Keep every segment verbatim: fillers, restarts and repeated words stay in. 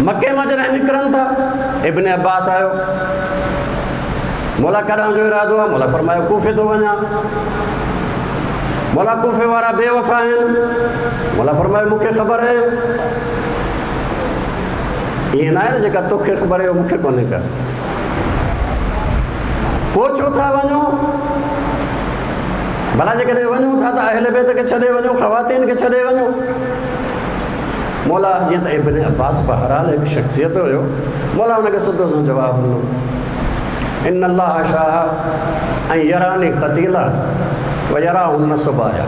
मके मां जॾहिं निकिरनि था, इब्न अब्बास आयो, मौला कॾां जो इरादो आहे? मौला फरमायो कूफे थो वञा। मौला कूफे वारा बेवफा आहिनि। मौला फरमायो मूंखे ख़बर आहे। ईअं न आहे न जेका तोखे ख़बर आहे मूंखे कोन्हे का। पोइ छो था वञो? भला जेकॾहिं वञूं था त अहल बैत खे छॾे वञो, ख़वातीन खे छॾे वञो। मौला जीअं त इब्न अब्बास बहरहाल हिकु शख़्सियत हुयो, मौला हुनखे सिधो सां जवाबु ॾिनो, इन अल्लाह शाह ऐं यरानी क़तीला व यराहुन सबाया।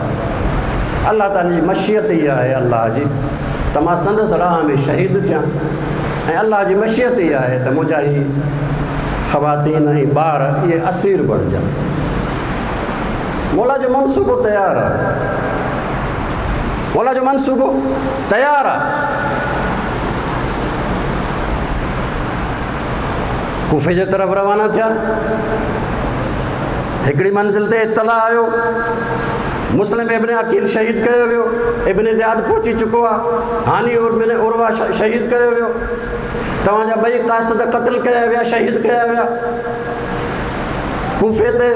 अलाह ताला जी मशीयत इहा आहे अलाह जी त मां संदसि राह में शहीद थियां, ऐं अलाह जी मशीयत इहा आहे त मुंहिंजा ही ख़वातीन ऐं ॿार इहे असीर बणिजनि। मौला जो मनसूबो तयारु आहे, मौला जो मनसूबो तयारु आहे। कूफे जे तरफ़ रवाना थिया। हिकिड़ी मंज़िल ते इतला आयो, मुस्लिम इब्न अकील शहीद कयो वियो, इब्न ज़ियाद पहुची चुको आहे, हानी इब्न उर्वा शहीद कयो वियो, तव्हांजा ॿई क़ासिद क़तल कया विया, शहीद कया विया। कूफे ते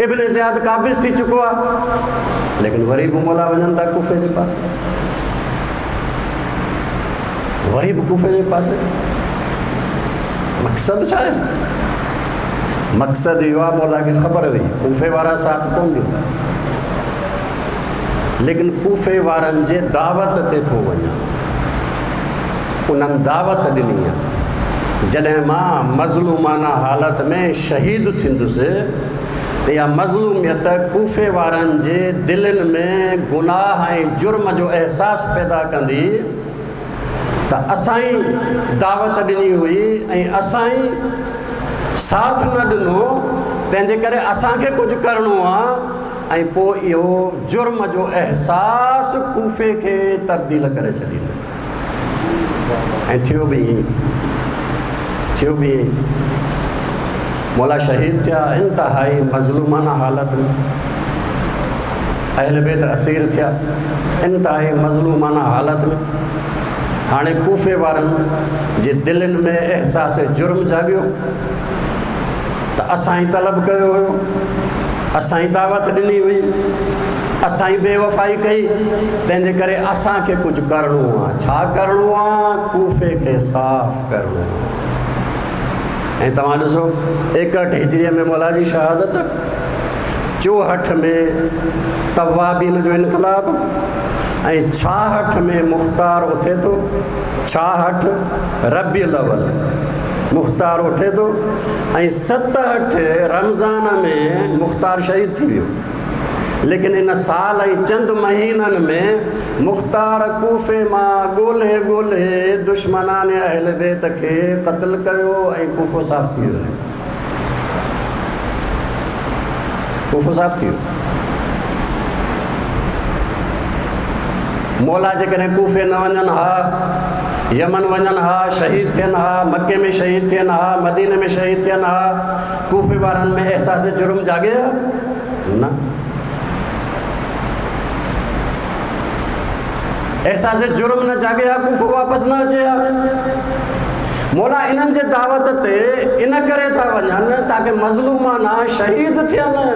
इब्न ज़ियाद काबिज़ थी चुको आहे, लेकिन वरी बि मौला वञनि था कूफे जे पासे, वरी बि कूफे जे पासे। मक़सदु छा आहे? मक़सदु इहो आहे, मौला खे ख़बर हुई कूफे वारा साथ कोन ॾींदा, लेकिन कूफे वारनि जे दावत ते थो वञा। उन्हनि दावत ॾिनी आहे, जॾहिं मां मज़लूमाना हालत में शहीद थींदुसि त इहा मज़लूमियत कूफे वारनि जे दिलनि में गुनाह ऐं जुर्म जो अहसासु पैदा कंदी त असां ई दावत ॾिनी हुई ऐं असां ई साथ न ॾिनो, तंहिंजे करे असांखे कुझु करिणो आहे। ऐं पोइ इहो जुर्म जो अहसासु कूफे खे तब्दील करे छॾींदो। ऐं थियो बि ईअं, थियो बि ईअं। मौला शहीद थिया इंतिहाई मज़लूमाना हालत में, अहल बैत असीर थिया इंतिहाई मज़लूमाना हालत में। हाणे कूफे वारनि जे दिलनि में अहसास जुर्म जाॻियो त असां ई तलब कयो हुयो, असां ई दावत ॾिनी हुई, असां ई बेवफ़ाई कई, तंहिंजे करे असांखे कुझु करिणो आहे। छा करिणो आहे? कूफे खे साफ़ करिणो आहे। ऐं तव्हां ॾिसो एकहठि हिजरीअ में मौला जी शहादत, चोहठि में तवाबीन जो इनकलाब, ऐं छाहठि में मुख़्तार उथे थो, छाहठि रबी अव्वल मुख़्तार उठे थो, ऐं सतहठि रमज़ान में मुख़्तार शहीद थी वियो। लेकिन इन साल ऐं चंद महीननि में मुख़्तार कूफे मां ॻोल्हे ॻोल्हे दुश्मनान अहल बैत खे क़तल कयो ऐं कूफो साफ़ थी वियो, कूफो साफ़ थी वियो। मौला जेकॾहिं कूफे न वञनि हा, यमन वञनि हा, शहीद थियनि हा, मक्के में शहीद थियनि हा, मदीने में शहीद थियनि हा, कूफे वारनि में अहसास जुर्म जाॻे हा न? अहसास जुर्म न जाॻे हा, कूफो वापसि न अचे हा। मौला इन्हनि जे दावत ते इन करे था वञनि ताकी मज़लूमाना शहीद थियनि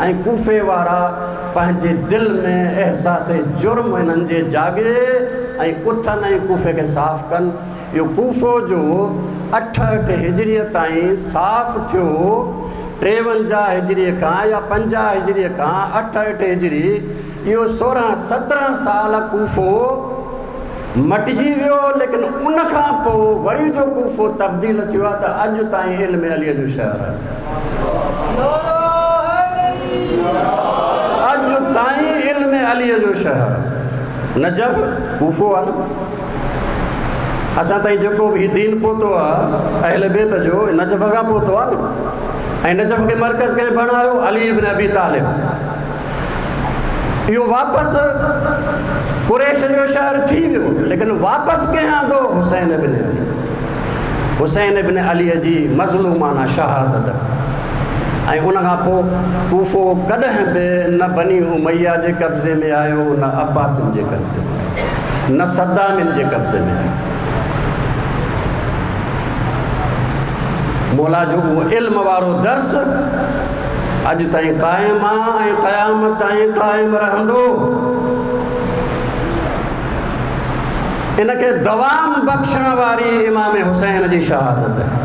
ऐं कूफे वारा पंहिंजे दिलि में अहसास जुर्म इन्हनि जे जाॻे ऐं उथनि ऐं कूफे खे साफ़ कनि। इहो कूफो जो अठहठि हिजरीअ ताईं साफ़ थियो, टेवंजाह हिजरीअ खां या पंजाह हिजरीअ खां अठहठि हिजरी, इहो सोरहं सत्रहं साल कूफो मटिजी वियो। लेकिन उन खां पोइ वरी जो कूफो तब्दील थियो आहे त अॼु ताईं इल्म अलीअ जो शहर आहे, अॼु ताईं इल्म अलीअ जो शहर आहे। नजफ़ कूफो आहे न, असां ताईं जेको बि दीन पहुतो आहे अहल बैत जो, नजफ़ खां पहुतो आहे न। ऐं नजफ़ खे मर्कज़ कंहिं बणायो? अली इब्न अबी तालिब। इहो वापसि कुरैश जो शहर थी वियो, लेकिन वापसि कंहिं आंदो? हुसैन इब्न अली। हुसैन इब्न अलीअ जी मज़लूमाना शहादत। ऐं उन खां पोइ कूफो कॾहिं बि न बनी उमैया जे कब्ज़े में आयो, न अब्बासिन जे कब्ज़े में आयो, न सद्दामिन जे कब्ज़े में आयो। مولا جو اهو علم وارو درس اڄ تائين قائم آهي ۽ قيامت تائين قائم رهندو. ان کي دوام بخشڻ واري امام حسين جي شهادت آهي،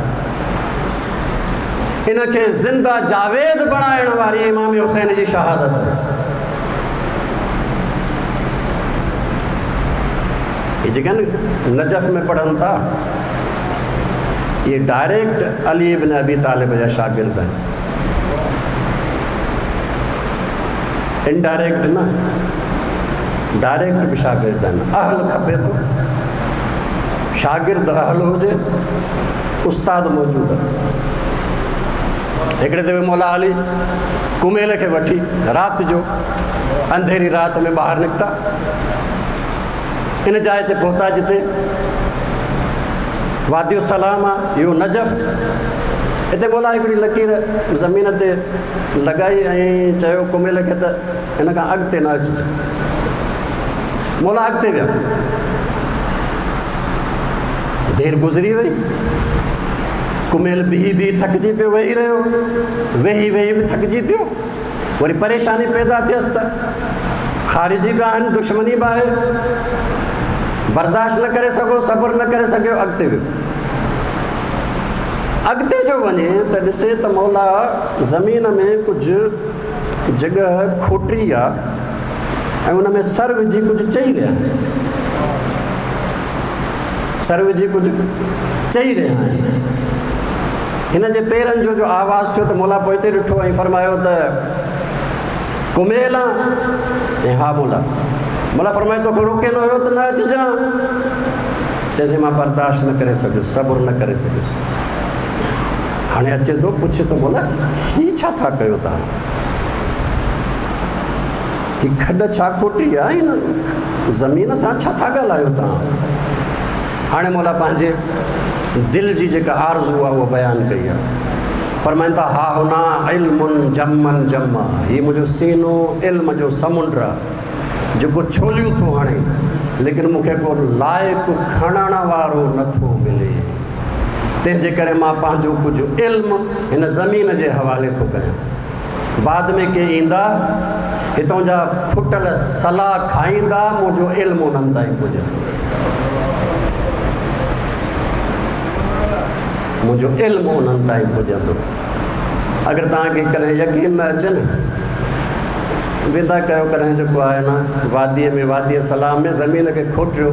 ان کي زنده جاويد بڻائڻ واري امام حسين جي شهادت آهي. هي جيڪي نجف ۾ پڙهن ٿا اهي ڊائريڪٽ علي ابن ابي طالب جا شاگرد آهن، انڊائريڪٽ نه، ڊائريڪٽ به شاگرد آهن. اهل کپي ٿو، شاگرد اهل هجي، استاد موجود آهي. هڪڙي دفعي مولا علي ڪميل کي وٺي رات جو انڌيري رات ۾ ٻاهر نڪتا، ان جاءِ تي پهتا جتي وادي السلام آهي، اهو نجف. هتي مولا هڪڙي لڪير زمين تي لڳائي ۽ چيو ڪميل کي ته هن کان اڳتي نه اچجي. مولا اڳتي ويا، دير گذري وئي، ڪميل بيهي بيهي ٿڪجي پيو، ويهي رهيو، ويهي ويهي به ٿڪجي پيو. وري پريشاني پيدا ٿيس ته خارجي به آهن، دشمني به آهي، برداشت نه ڪري سگهو، صبر نه ڪري سگهيو، اڳتي ويو. اڳتي جو وڃي ته ڏسي ته مولا زمين ۾ ڪجهه جڳهه کوٽي آهي ۽ ان ۾ سر وجهي ڪجهه چئي رهيا آهن، سر وجهي ڪجهه چئي رهيا آهن. هن جي پيرن جو جو آواز ٿيو ته مولا پوئتي ڏٺو ۽ فرمايو ته ڪميل آ؟ ۽ ها مولا. مولا فرمايو توکي روڪي نه هيو ته نه اچجان. چئيسين مان برداشت نه ڪري سگهيس، صبر نه ڪري سگهيس. هاڻي اچي ٿو پڇي ٿو مولا هي ڇا ٿا ڪيو توهان؟ هي کڏ ڇا کوٽي آهي؟ هن زمين سان ڇا ٿا ڳالهايو توهان؟ هاڻي مولا پنهنجي دل جي جيڪا آرزو آهي اها بيان ڪئي آهي. فرمائن ٿا ها هنا علم جمن جما، هي منهنجو سينو علم جو سمنڊ آهي جيڪو ڇوليون ٿو هڻي، ليڪن مون کي ڪو لائق کڻڻ وارو نٿو ملي، تنهن جي ڪري مان پنهنجو ڪجهه علم هن زمين جي حوالي ٿو ڪيان. بعد ۾ ڪي ايندا هتان جا ڦٽل صلاح کائيندا، منهنجو علم انهن تائين پڄندو، منهنجو علم انهن تائين پڄندو. اگر توهان کي ڪڏهن يقين نه اچي نه، ويندا ڪيو ڪڏهن جيڪو آهي نه واديءَ ۾ واديءَ سلام ۾ زمين کي کوٽيو،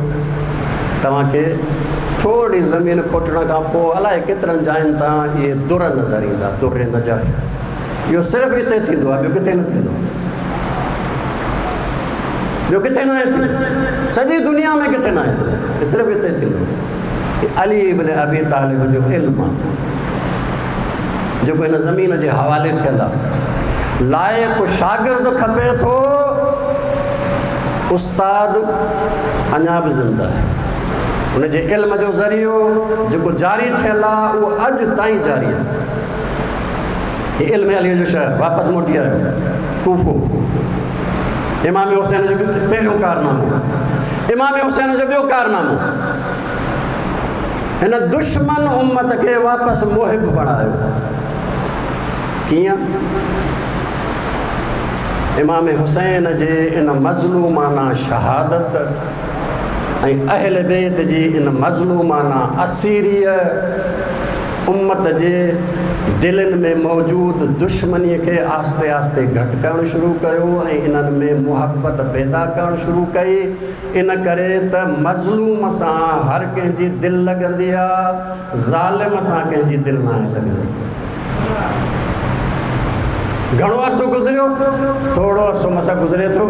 توهان کي ٿوري زمين کوٽڻ کان پوءِ الائي ڪيترن جاين تان اهي در نظر ايندا، در نجف. اهو صرف هتي ٿيندو آهي، ٻيو ڪٿي نه ٿيندو آهي، ٻيو ڪٿي نه آهي ٿيندو، سڄي دنيا ۾ ڪٿي نه آهي ٿيندو، صرف هتي ٿيندو. علي ابن ابي طالب جو علم آهي جيڪو هن زمين جي حوالي ٿيل آهي. لائق شاگرد کپي ٿو، استاد اڃا به زنده آهي، هن جي علم جو ذريعو جيڪو جاري ٿيل آهي اهو اڄ تائين جاري آهي. هي علم علي جو شهر واپس موٽي آيو ڪوفو، امام حسين جو پهريون ڪارنامو، امام حسين جو ٻيو ڪارنامو، هن دشمن امت کي واپس محب بڻايو. ڪيئن؟ امام حسين جي ان مظلومانه شهادت ۽ اهل بيت جي ان مظلومانه اسيريءَ امت جي دلن ۾ موجود دشمنيءَ کي آهستي آهستي گهٽ ڪرڻ شروع ڪيو ۽ انهن ۾ محبت پيدا ڪرڻ شروع ڪئي. ان ڪري ته مظلوم سان هر ڪنهن جي دل لڳندي آهي، ظالم سان ڪنهن جي دل ناهي لڳندي. گهڻو عرصو گذريو، ٿورو عرصو مس گذري ٿو،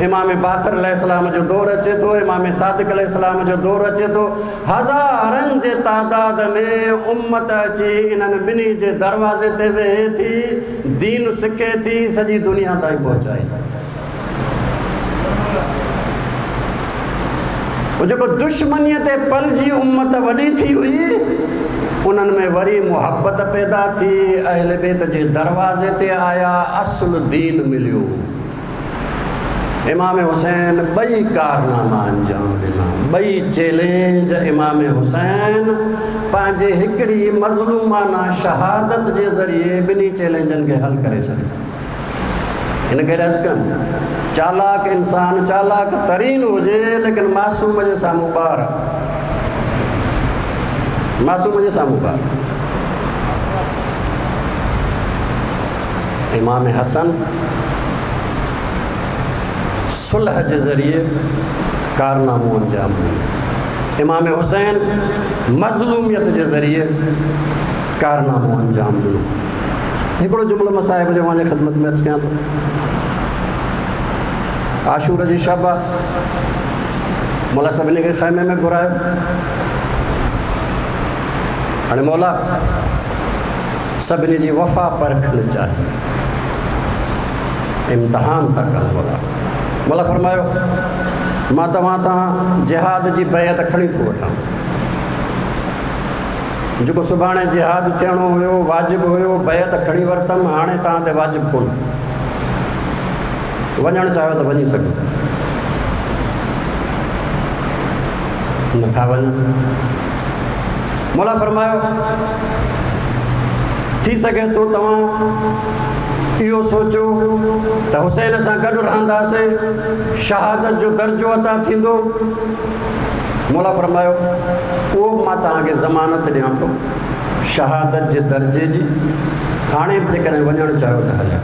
امام باقر عليه السلام جو دور اچي ٿو، امام صادق عليه السلام جو دور اچي ٿو. هزارن جي تعداد ۾ امت اچي انهن ٻنهي جي دروازي تي ويهي ٿي، دين سکي ٿي، سڄي دنيا تائين پهچائي ٿي. جيڪو دشمنيءَ تي پلجي امت وڏي ٿي هئي، انهن ۾ وري محبت پيدا ٿي، اهل بيت جي دروازي تي آيا، اصل دين مليو. इमाम हुसैन ॿई कारनामा अंजाम ॾिना, ॿई चैलेंज इमाम हुसैन पंहिंजे हिकिड़ी मज़लूमाना शहादत जे ज़रिए ॿिन्ही चैलेंजनि खे हल करे छॾियो। हिन खे अर्ज़ु कनि, चालाक इंसान चालाक तरीन हुजे, लेकिन मासूम जे साम्हूं ॿार, मासूम जे साम्हूं ॿार। इमाम हसन सुलह जे ज़रिए कारनामो अंजाम ॾिनो, इमाम हुसैन मज़लूमियत जे ज़रिए कारनामो अंजाम ॾिनो। हिकिड़ो जुमिलो मां साहिब जो अव्हांजे ख़िदमत में अर्ज़ु कयां थो। आशूर जी शब आहे, मौला सभिनी खे ख़ैमे में घुरायो। हाणे मौला सभिनी जी वफ़ा परखणु चाहे, इम्तिहान था कनि मौला। मौला फरमायो, मां तव्हां तां जिहाद जी बैअत खणी थो वठां। जेको सुभाणे जिहाद थियणो हुयो, वाजिब हुयो, बैअत खणी वरितमि, हाणे तव्हां ते वाजिब कोन्हे। वञणु चाहियो त वञी सघो, नथा वञनि। मौला फरमायो, थी सघे थो तव्हां इहो सोचो त हुसैन सां गॾु रहंदासीं, शहादत जो दर्जो अता थींदो। मौला फरमायो, उहो बि मां तव्हांखे ज़मानत ॾियां थो शहादत जे दर्जे जी। हाणे बि जेकॾहिं वञणु चाहियो त हलिया,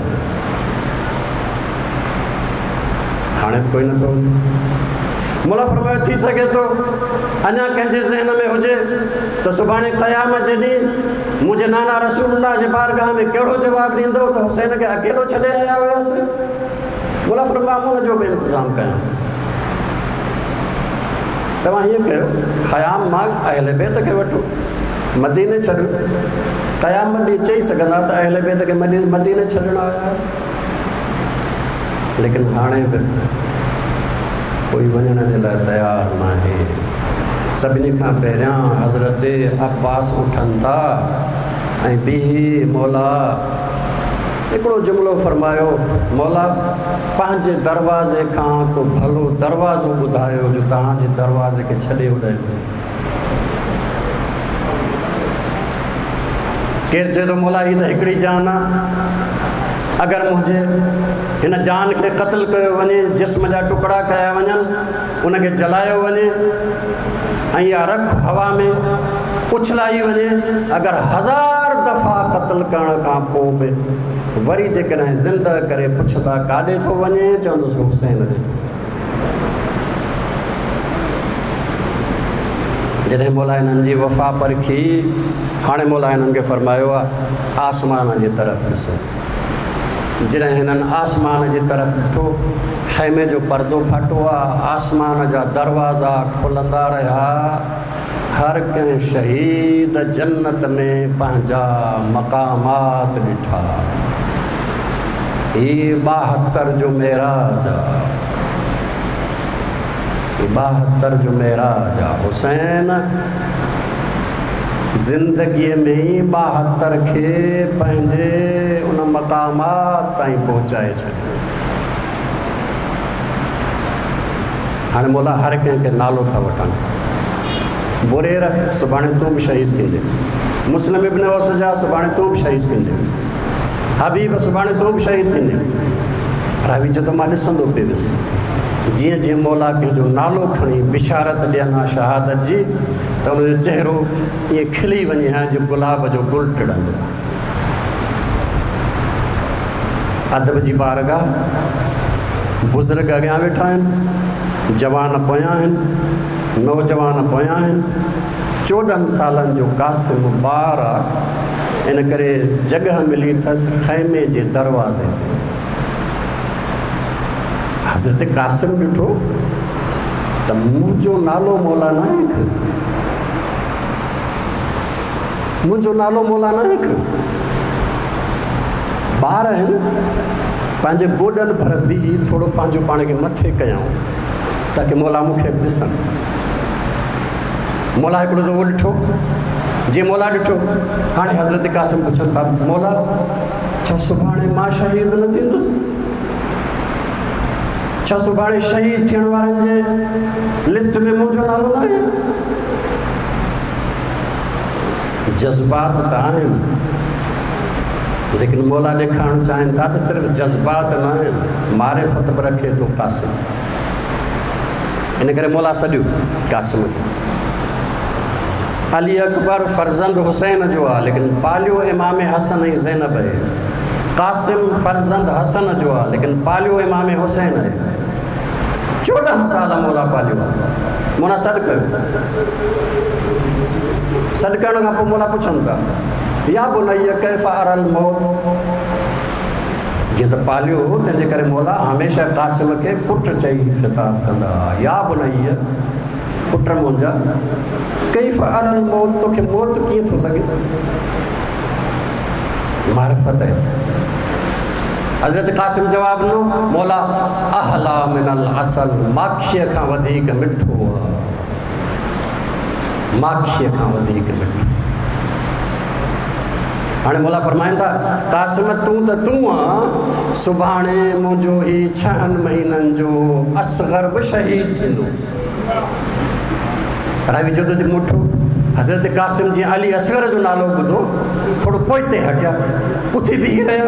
हाणे बि कोई नथो वञे। मौला फरमायो, थी सघे थो अञा कंहिंजे ज़हन में हुजे त सुभाणे क़यामत जे ॾींहुं मुंहिंजे नाना रसूलुल्लाह जे बारगाह में कहिड़ो जवाबु ॾींदो त हुसैन खे अकेलो छॾे आया हुयासीं। मौला फरमायो, हुनजो बि इंतज़ामु कयां। तव्हां हीअं कयो, ख़याम मां अहले बैत खे वठो, मदीने छॾियो। क़यामत ॾींहुं चई सघंदा त अहले बैत खे मदीने छॾणु आया हुआसीं। लेकिन हाणे बि कोई वञण जे लाइ तयारु नाहे। सभिनी खां पहिरियां हज़रत अब्बास उथनि था ऐं बीही मौला हिकिड़ो जुमिलो फरमायो, मौला पंहिंजे दरवाज़े खां को भलो दरवाज़ो ॿुधायो जो तव्हांजे दरवाज़े खे छॾे उॾायो। केरु चए थो, मौला हीअ त हिकिड़ी जान आहे, अगरि मुंहिंजे हिन जान खे क़तलु कयो वञे, जिस्म जा टुकड़ा कया वञनि, उनखे जलायो वञे ऐं इहा रख हवा में उछलाई वञे, अगरि हज़ार दफ़ा क़तलु करण खां पोइ बि वरी जेकॾहिं ज़िंदा करे पुछंदा काॾे थो वञे, चवंदुसि हुसैन ॾे। जॾहिं मौला हिननि जी वफ़ा परखी, हाणे मौला हिननि खे फरमायो आहे, आसमान जे तरफ़ ॾिसो। जॾहिं हिननि आसमान जे तरफ़ ॾिठो, ख़ैमे जो पर्दो फाटो आहे, आसमान जा दरवाज़ा खुलंदा रहिया, हर कंहिं शहीद जन्नत में पंहिंजा मक़ामात ॾिठा। हीअ ॿाहतरि जो मेराज आहे, ॿाहतरि जो मेराज आहे। हुसैन ज़िंदगीअ में ई ॿाहतरि खे पंहिंजे उन मक़ामात ताईं पहुचाए छॾियो। हाणे मौला हर कंहिंखे नालो था वठनि। बुरेर सुभाणे तूं बि शहीद थींदे, मुस्लिम इब्न औसजा सुभाणे तूं बि शहीद थींदे, हबीब सुभाणे तूं बि शहीद थींदे। रावी चए थो, मां ॾिसंदो पियो हुउसि, जीअं जीअं मौला कंहिंजो नालो खणी बिशारत ॾियनि हा शहादत जी, त हुनजो चहिरो ईअं खिली वञे हा जीअं गुलाब जो गुल टिड़ंदो आहे। अदब जी बारगाह, बुज़ुर्ग अॻियां वेठा आहिनि, जवान पोयां आहिनि, नौजवान पोयां आहिनि। चोॾहं सालनि जो कासिम ॿार आहे, इन करे जॻह मिली अथसि ख़ैमे जे दरवाज़े ते। हज़रत कासिम ॾिठो त मुंहिंजो नालो मौला नाहे खयो, मुंहिंजो नालो मौला नाहे खयो। ॿार आहिनि, पंहिंजे गोॾनि भर बीही थोरो पंहिंजो पाण खे मथे कयाऊं ताकि मौला मूंखे बि ॾिसनि। मौला हिकिड़ो दफ़ो ॾिठो, जीअं मौला ॾिठो, हाणे हज़रत कासिम पुछनि था, मौला छा सुभाणे मां शहीद न थींदुसि? छा सुभाणे शहीद थियण वारनि जे लिस्ट में मुंहिंजो नालो न आहे? जज़्बात त आहिनि, लेकिन मौला ॾेखारणु चाहिनि था त सिर्फ़ जज़्बात न आहिनि, मारिफ़त बि रखे थो कासिम। इन करे मौला सॾियो कासिम खे। अली अकबर फर्ज़ंद हुसैन जो आहे, लेकिन पालियो इमाम हसन ऐं ज़ैनब आहे। कासिम फर्ज़ंद हसन जो आहे, लेकिन पालियो इमाम हुसैन आहे। चोॾहं साल मौला पालियो आहे। मौला सॾु कयो, सॾु करण खां पोइ मौला पुछनि था, या बुनैया कैफ़ अरल मौत। जीअं त पालियो हो, तंहिंजे करे मौला हमेशह कासिम खे पुट चई ख़िताब कंदा हुआ, या बुनैया पुट मुंहिंजा, कैफ़ अरल मौत, तोखे मौत कीअं थो लॻे? मारिफ़त आहे। हज़रत कासिम जवाब ॾिनो, मौला अहला मिनल असल, माखीअ खां वधीक मिठो आहे, माखीअ खां वधीक मिठो। हाणे मौला फरमाइनि था, कासिम तूं त तूं आहीं, सुभाणे मुंहिंजो हीउ छहनि महीननि जो असगर बि शहीद थींदो। रावी चयो त मुठो। हज़रत कासिम जीअं अली असगर जो नालो ॿुधो, थोरो पोइते हटिया, उथी बीही रहिया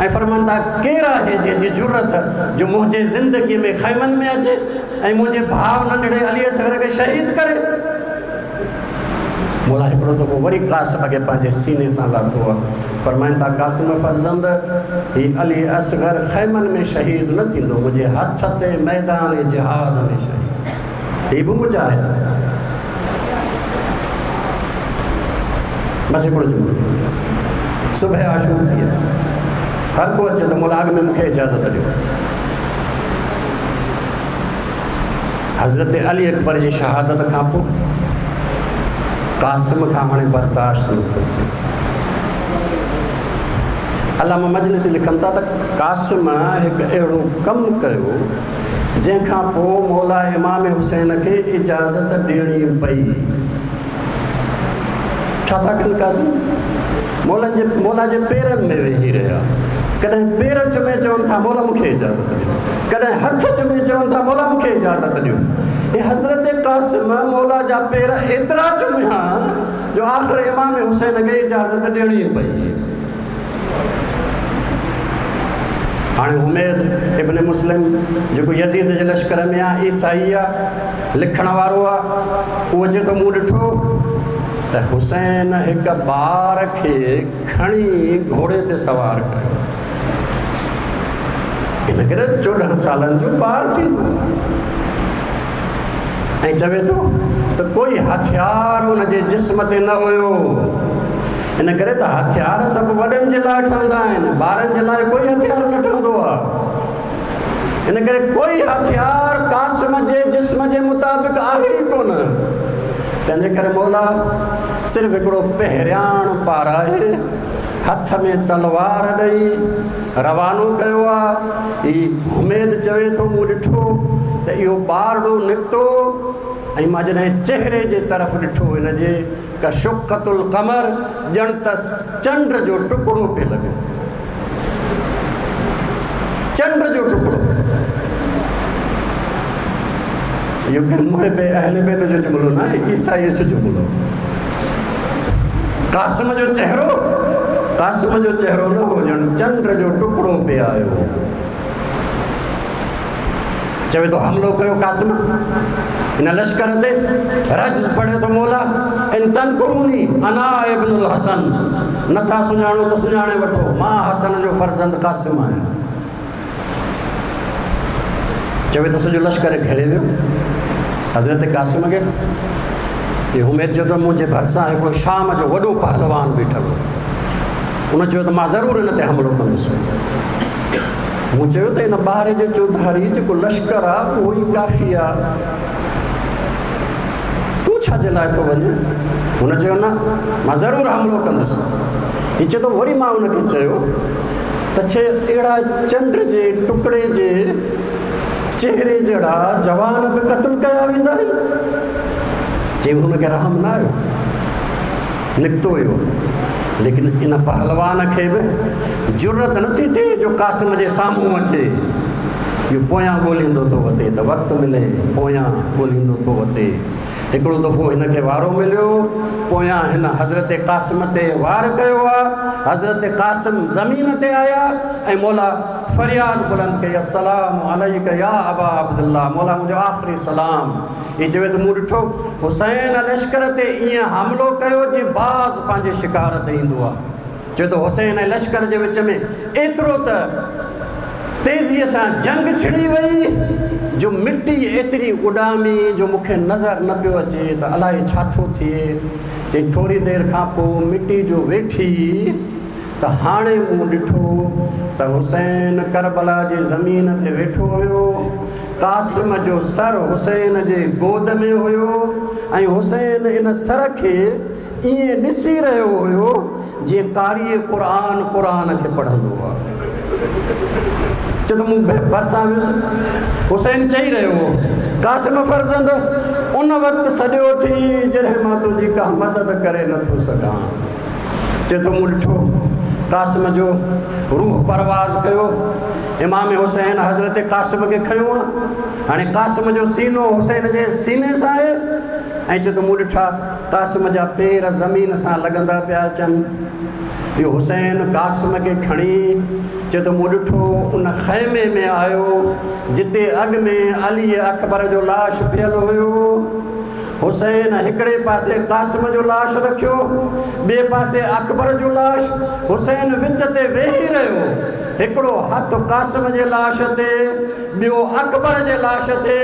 ऐं फरमाइनि था, केरु आहे जंहिंजी जुरत जो मुंहिंजे ज़िंदगीअ में ख़ैमनि में अचे ऐं मुंहिंजे भाउ नंढड़े अली असगर खे शहीद करे? मौला हिकिड़ो दफ़ो वरी कासिम खे पंहिंजे सीने सां लाथो आहे। फरमाइनि था, कासिम फर्ज़ंद, हीउ अली असगर ख़ैमनि में शहीद न थींदो, मुंहिंजे हथ ते मैदान जिहाद में शहीद, हीउ बि मुजाहिद। बसि हिकिड़ो जुमिलो, सुबुह आशूर थी आहे, हर को अचे त मौला अॻु में मूंखे इजाज़त ॾियो। हज़रत अली अकबर जी शहादत खां पोइ कासिम खां हाणे बर्दाश्त नथो थिए। अलामा मजलिस लिखनि था त कासिम हिकु अहिड़ो कमु कयो जंहिंखां पोइ मौला इमाम हुसैन खे इजाज़त ॾियणी पई। छा था कनि कासिम? मौलनि जे मौला जे पेरनि में वेही रहिया, कॾहिं पेर चुमे चवनि था मौला मूंखे इजाज़त ॾियो, कॾहिं हथ चुमे चवनि था मौला मूंखे इजाज़त ॾियो। हे हज़रत कासिम मौला जा पेर एतिरा चुमिया जो आख़िर इमाम हुसैन खे इजाज़त ॾियणी पई। हाणे उमेद इब्न मुस्लिम जेको यज़ीद जे लश्कर में आहे, ईसाई आहे, लिखण वारो आहे, उहो चए थो मूं ॾिठो त हुसैन हिकु ॿार खे खणी घोड़े ते सवार कयो। इन करे चोॾहं सालनि जो ॿार थींदो ऐं चवे थो त कोई हथियार हुनजे जिस्म ते न हुयो। इन करे त हथियार सभु वॾनि जे लाइ ठहंदा आहिनि, ॿारनि जे लाइ कोई हथियार न ठहंदो आहे। इन करे कोई हथियार कासिम जे जिस्म जे मुताबिक़ आहे ई कोन। तंहिंजे करे मौला सिर्फ़ु हिकिड़ो पहिरियाण पाराए हथ में तलवार ॾेई रवानो कयो आहे। हीउ उमेद चवे थो मूं ॾिठो त इहो ॿारड़ो निकितो ऐं मां जॾहिं चेहरे जे तरफ़ ॾिठो हिनजे कशुक़तुल कमर, ॼण त चंड जो टुकड़ो पियो लॻे, चंड जो टुकड़ो। इहो मुहिब अहले बैत जो जुमिलो न आहे, ईसाईअ जो जुमिलो। कासिम जो चेहरो, कासिम जो चेहरो न हो, ॼण चंड जो टुकड़ो पियो आयो। चवे थो हमलो कयो कासिम हिन लश्कर ते, रज पढ़े थो मौला, इन तनकुरूनी अना इब्नुल हसन, नथा सुञाणो त सुञाणे वठो, मां हसन जो फर्ज़ंद कासिम आहियां। चवे थो सॼो लश्कर घेरे वियो हज़रत कासिम खे। इहो उमेद चयो त मुंहिंजे भरिसां हिकिड़ो शाम जो वॾो पहलवान बीठल हो, उन चयो त मां ज़रूरु हिन ते हमलो कंदुसि। मूं चयो त हिन ॿार जे चौधारी जेको लश्कर आहे उहो ई काफ़ी आहे, तूं छाजे लाइ थो वञे? हुन चयो न, मां ज़रूरु हमलो कंदुसि। हीउ चए थो वरी मां हुनखे चयो त छे अहिड़ा चंड जे टुकड़े जे चेहरे जहिड़ा जवान बि क़तलु कया वेंदा आहिनि? चई हुनखे रहम न आयो, निकितो हुयो। लेकिन इन पहलवान खे बि जुरत नथी थिए जो कासिम जे साम्हूं अचे। اهو پويان ڳولهيندو ٿو وتي ته وقت ملي، پويان ڳولهيندو ٿو وتي. هڪڙو دفعو هن کي وارو مليو، پويان هن حضرت قاسم تي وار ڪيو آهي. حضرت قاسم زمين تي آيا ۽ مولا فرياد بلند ڪئي، السلام عليڪ يا ابا عبدالله، مولا منهنجو آخري سلام. هي چوي ته مون ڏٺو حسين لشڪر تي ائين حملو ڪيو جيئن باز پنهنجي شڪار تي ايندو آهي. چوي ته حسين ۽ لشڪر جي وچ ۾ ايترو ته تيزيءَ سان جنگ ڇڙي وئي جو مٽي ايتري اڏامي جو مون کي نظر نه پيو اچي ته الائي ڇا ٿو ٿئي. چئي ٿوري دير کان پوءِ مٽي جو ويٺي ته هاڻي مون ڏٺو ته حسين ڪربلا جي زمين تي ويٺو هيو، قاسم جو سر حسين جي گود ۾ هيو ۽ حسين ان سر کي ائين ڏسي رهيو هيو جيئن قاري قرآن قرآن کي پڙهندو آهي. چئي ته مون ڀرسان ويس، حسين چئي رهيو هو، قاسم فرزند ان وقت سڏيو ٿي جڏهن مان تنهنجي ڪا مدد ڪري نٿو سگهان. چئي ٿو مون ڏٺو قاسم جو روح پرواز ڪيو، امام حسين حضرت قاسم کي کنيو آهي، هاڻي قاسم جو سينو حسين جي سيني سان آهي. ۽ چئي ٿو مون ڏٺا قاسم جا پير زمين سان لڳندا پيا اچن. اهو حسين قاسم کي کڻي چئي ٿو مون ڏٺو ان خيمي ۾ آيو جتي اڳ ۾ علي اڪبر جو لاش پيل هيو. حسين هڪڙي پاسي قاسم جو لاش رکيو، ٻئي پاسي اڪبر جو لاش. حسين وچ تي ويهي رهيو، هڪڙو هٿ قاسم جي لاش تي، ٻيو اڪبر جي لاش تي.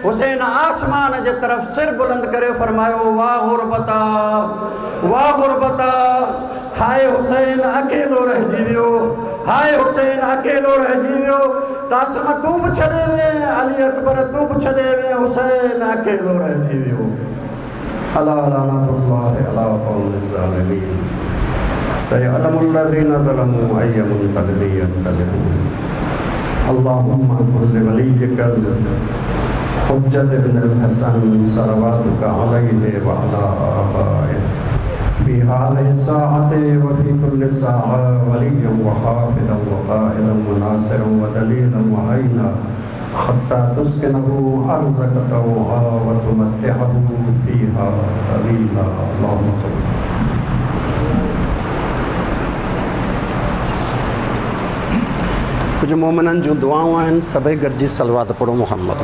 حسين آسمان جي طرف سر بلند ڪري فرمايو، واهه غربتا، واهه غربتا، هاءِ حسين اڪيلو رهجي ويو، هاءِ حسين اڪيلو رهجي ويو. قاسم تون به ڇڏي وئين، علي اڪبر تون به ڇڏي وئين، حسين اڪيلو رهجي ويو. الا لعنة الله على القوم الظالمين سيعلم الذين ظلموا أي منقلب ينقلبون. اللهم كن لوليك الحجة بن الحسن صلواتك عليه وعلى آبائه في هذه الساعة وفي كل ساعة وليا وحافظا وقائدا وناصرا ودليلا وعينا حتى تسكنه أرضك طوعا وتمتعه فيها طويلا. اللهم صل. कुझु मोमिननि जूं दुआऊं आहिनि, सभई गॾिजी सलवात पढ़ो محمد.